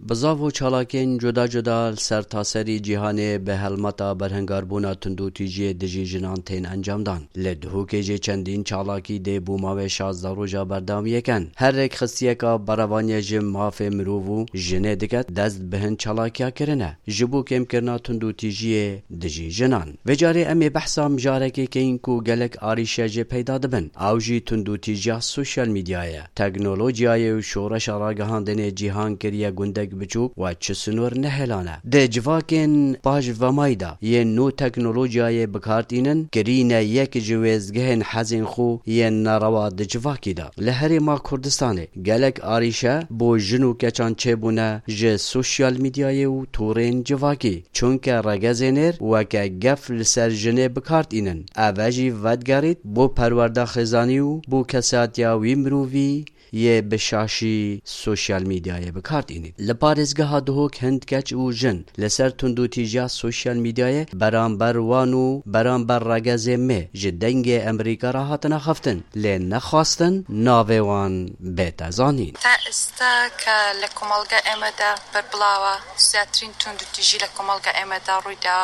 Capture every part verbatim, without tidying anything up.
Bizav û çalakiyên cuda cuda li ser taserî cîhanê bi helmeta berhingarbûna tundûtîjiyê dijî jinan tên encamdan. Li Duhokê jî çendîn çalakî dê bo mavê şazdeh roja berdewamiyê ken. Her rêkxistiyeka berevaniyê ji mafê mirov û jinê dike dest bi hin çalakiya kirine ji bo kêmkirina tundûtîjiyê dijî jinan. Vê carê em ê behsa mijarekê keyin ku gelek arîşe jê peyda dibin. Ew jî tundûtîjiya sosyal medyayê ye. Teknolojiyayê û şoreşa ragihandinê cîhan kiriye gundek biçûk we çi sinor nehêlane. Di civakên paş vemayî de yên nû teknolojiyayê bi kar tînin, kirîne yek ji wêzgehên hezên xwe yên nerewa di civakî de. Li Herêma Kurdistanê gelek arîşe bo jin û keçan çêbûne ji sosyal medyayê û torên civakî. Çunke regezê nêr weke gef li ser jinê bi kar tînin. Eve jî vedigerît bo perwerda xêzanî û bo kesatiya wî mirovî yê bi şaşî sosyal medyayê bi kar tînî. Li parêzgeha Duhok hin keç û jin li ser tundûtîjiya sosyal medyayê beramber wan û beramber regezê me ji Dengê Emerîka re hatine xiftin, lê nexwastin navê wan bête zanîn. تا ئێستا کە لە کۆمەڵگا ئێمەدا بەربڵاوە، زیاترین توندوتیژی لە کۆمەڵگا ئێمەدا ڕوویدا.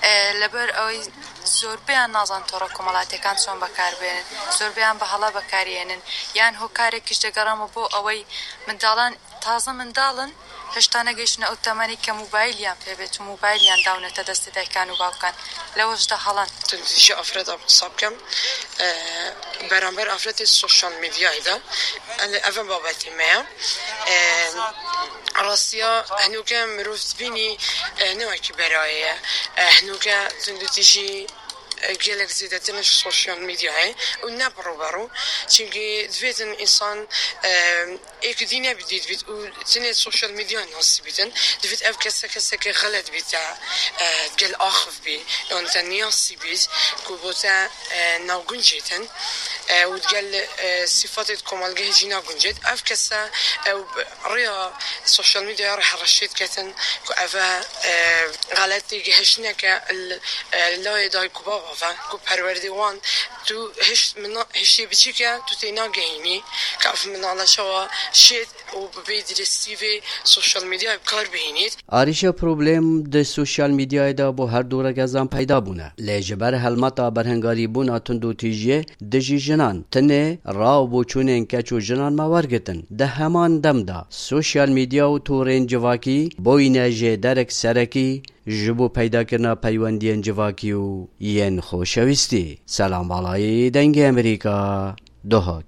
ئێ، لەبەر ئەوەی زۆربەیان نازان تۆڕە کۆمەڵاتیەکان چۆن بەکاربێنن، زۆربەیان بە هەڵە بەکارێنن، یان هۆکارێکیش دەگەڕێمە بۆ ئەوەی منداڵان تازە منداڵن، هێشتا نەگەیشتنە ئەو تەمەنی کە موبایلیان پێ بێت و موبایلیان داونەتە دەستی دایکان و باوکان، لەوەشدا هەڵەن. Tundîtîjiya afret a qisa bikim, e, beramber afretê sosyal medyayê de, e, ev e babetê me ye. E, rastiya hinûke mirov dibînî, e, ne wekî berayê ye. E, hinûke tundûtîjî, e, gelek zêdetir in ji sosyal medyayê û ne bi rû be rû. Çimkî divêtin însan, e, êk dî nebî dî dibît û tenê sosyal medyayê nas dibîtin. Divêt ev kese keseke xelet bît, te, e, gel axiv bî, yan te niyasî bît, ku bo te, e, navguncêtin, e, û digel, e, sîfatê di komelgehê jî naguncêt. Ev kese, e, ew bi rêya sosyal medyaya re hereşê diketin, ku ev e, e, xeletê gihiştineke li, e, layê dayik û bava ve, ku perwerdê wan tu hiş-, mina-, hişê biçûk e, tu tê nagehînî, ka ev minale çawa şêt û bi vê dirêstî vê sosyal medyayê bi kar bihînît. Arîşe problem di sosyal medyayê de bo her du regezan peyda bûne. Lê ji ber helmeta berhengarîbûna tundûtîjiyê dijî jinan, tenê raw bo çûnên keç û jinan me wergitin. Di heman dem de sosyal medya û torên civakî boyne jêderek serekî ji bo peydakirina peywendiyên civakî û yên xoşewîstî. Selam Balayî, Dengê Emerîka, Duhok.